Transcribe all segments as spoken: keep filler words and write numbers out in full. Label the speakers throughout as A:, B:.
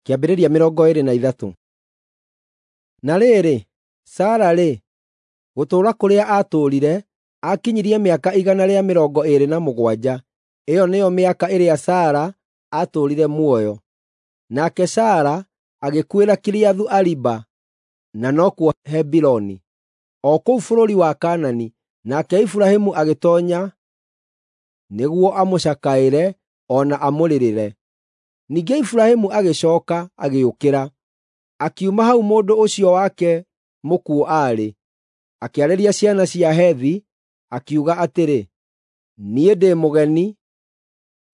A: Kĩambĩrĩria mĩrongo ĩĩrĩ na ithatũ. Na rĩrĩ, Sara-rĩ, gũtũũra kũrĩa aatũũrire, aakinyirie mĩaka igana rĩa mĩrongo ĩĩrĩ na mũgwanja. Ĩyo nĩyo mĩaka ĩrĩa Sara aatũũrire muoyo. Nake Sara agĩkuĩra Kiriathu-Ariba, na nokuo Hebironi, o kũu bũrũri wa Kaanani, nake Iburahĩmu agĩtoonya nĩguo amũcakaĩre o na amũrĩrĩre. Ningĩ Iburahĩmu agĩcooka agĩũkĩra, akiuma hau mũndũ ũcio wake mũkuũ aarĩ, akĩarĩria ciana cia Hethi, akiuga atĩrĩ, “Niĩ ndĩ mũgeni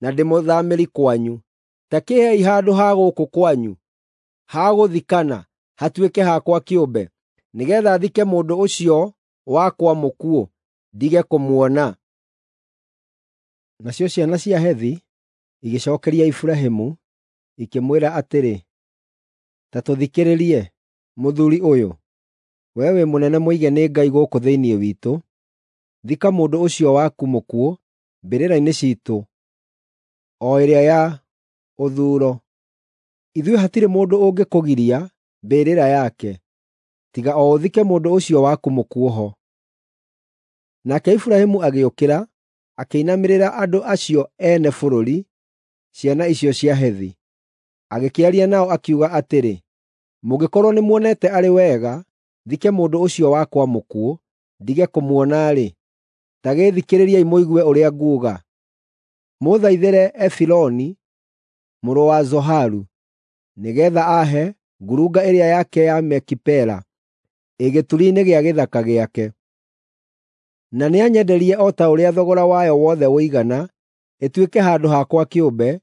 A: na ndĩ mũthaamĩri kwanyu. Ta kĩĩhei handũ ha gũkũ kwanyu ha gũthikana hatuĩke hakwa kĩũmbe, nĩgeetha thike mũndũ ũcio wakwa mũkuũ, ndige kũmuona.” Nacio ciana cia Hethi igĩcookeria Iburahĩmu, ikĩmwĩra atĩrĩ, “Ta tũthikĩrĩrie, mũthuuri ũyũ. Wee wĩ mũnene mũige nĩ Ngai gũkũ thĩinĩ witũ. Thika mũndũ ũcio waku mũkuũ mbĩrĩra-inĩ ciitũ o ĩrĩa ya ũthuuro. Ithuĩ hatirĩ mũndũ ũngĩkũgiria mbĩrĩra yake, tiga o ũthike mũndũ ũcio waku mũkuũ ho.” Nake Iburahĩmu agĩũkĩra, akĩinamĩrĩra andũ acio ene bũrũri, ciana icio cia Hethi. Agĩkĩaria nao akiuga atĩrĩ, “Mũngĩkorwo nĩmuonete arĩ wega thike mũndũ ũcio wakwa mũkuũ, ndige kũmuona-rĩ, ta gĩĩthikĩrĩriei mũigue ũrĩa nguuga. Mũũthaithĩre Efironi mũrũ wa Zoharu, nĩgeetha aahe ngurunga ĩrĩa yake ya Makipela, ĩ gĩturi-inĩ gĩa gĩthaka gĩake. Na nĩanyenderie o ta ũrĩa thogora wayo wothe ũigana, ĩtuĩke handũ hakwa kĩũmbe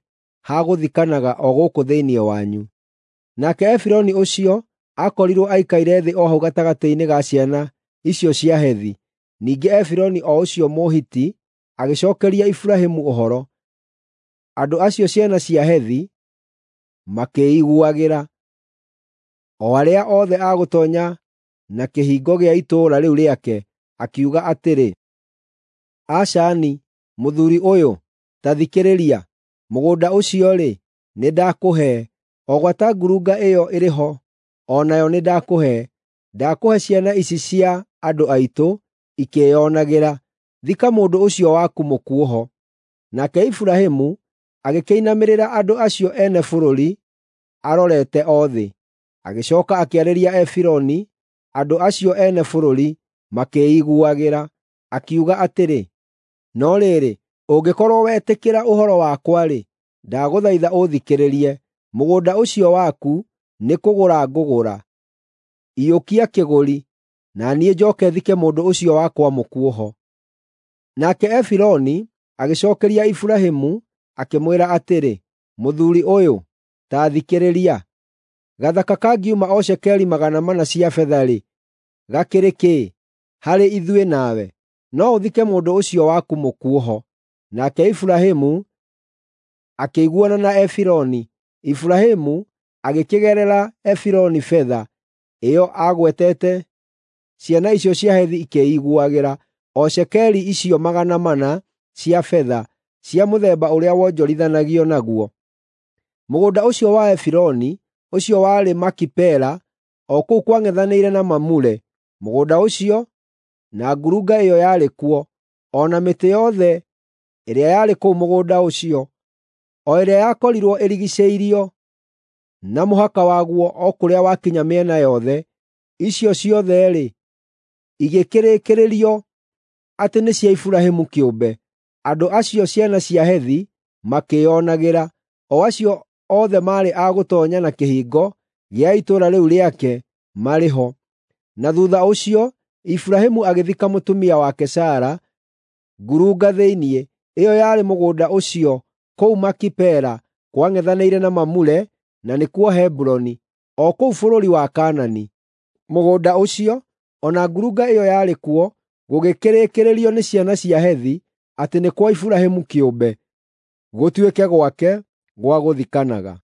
A: ha gũthikanaga o gũkũ thĩinĩ wanyu.” Nake Efironi ũcio aakorirwo aikaire thĩ o hau gatagatĩ-inĩ ga ciana icio cia Hethi. Ningĩ Efironi o ũcio Mũhiti agĩcookeria Iburahĩmu ũhoro. Andũ acio ciana cia Hethi makĩĩiguagĩra, o arĩa othe a gũtoonya na kĩhingo gĩa itũũra rĩu rĩake, akiuga atĩrĩ, “Aca-ni, mũthuuri ũyũ, ta thikĩrĩria. Mũgũnda ũcio-rĩ, nĩndakũhe, o gwata ngurunga ĩyo ĩrĩ ho o nayo nĩndakũhe. Ndakũhe ciana ici cia andũ aitũ ikĩĩonagĩra. Thika mũndũ ũcio waku mũkuũ ho.” Nake Iburahĩmu agĩkĩinamĩrĩra andũ acio ene bũrũri arorete o thĩ. Agĩcooka akĩarĩria Efironi andũ acio ene bũrũri makĩĩiguagĩra, akiuga atĩrĩ, “No rĩrĩ, ũngĩkorwo wetĩkĩra ũhoro wakwa-rĩ, ndagũthaitha ũũthikĩrĩrie. Mũgũnda ũcio waku nĩkũgũra ngũgũra. Iyũkia kĩgũri, na niĩ njooke thike mũndũ ũcio wakwa mũkuũ ho.” Nake Efironi agĩcookeria Iburahĩmu akĩmwĩra atĩrĩ, “Mũthuuri ũyũ, ta thikĩrĩria. Gathaka kangiuma o cekeri magana mana cia betha-rĩ, gakĩrĩ kĩĩ harĩ ithuĩ nawe? No ũthike mũndũ ũcio waku mũkuũ ho.” Nake Iburahĩmu akĩiguana na Efironi. Iburahĩmu agĩkĩgerera Efironi betha ĩyo aagwetete ciana icio cia Hethi ikĩĩiguagĩra, o cekeri icio magana mana cia betha cia mũthemba ũrĩa wonjorithanagio naguo. Mũgũnda ũcio wa Efironi, ũcio warĩ Makipela, o kũu kwang'ethanĩire na Mamure, mũgũnda ũcio, na ngurunga ĩyo yarĩ kuo, o na mĩtĩ yothe ĩrĩa yarĩ kũu mũgũnda ũcio, o ĩrĩa yakorirwo ĩrigiicĩirio na mũhaka waguo o kũrĩa wakinya mĩena yothe, icio ciothe-rĩ, igĩkĩrĩkĩrĩrio atĩ nĩ cia Iburahĩmu kĩũmbe. Andũ acio ciana cia Hethi makĩĩonagĩra, o acio othe maarĩ a gũtoonya na kĩhingo gĩa itũũra rĩu rĩake marĩ ho. Na thuutha ũcio Iburahĩmu agĩthika mũtumia wake Sara ngurunga thĩinĩ, ĩyo yarĩ mũgũnda ũcio kũu Makipela kwang'ethanĩire na Mamure, na nĩkuo Hebironi, o kũu bũrũri wa Kaanani. Mũgũnda ũcio, o na ngurunga ĩyo yarĩ kuo, gũgĩkĩrĩkĩrĩrio nĩ ciana cia Hethi atĩ nĩ kwa Iburahĩmu kĩũmbe, gũtuĩke gwake gwa gũthikanaga.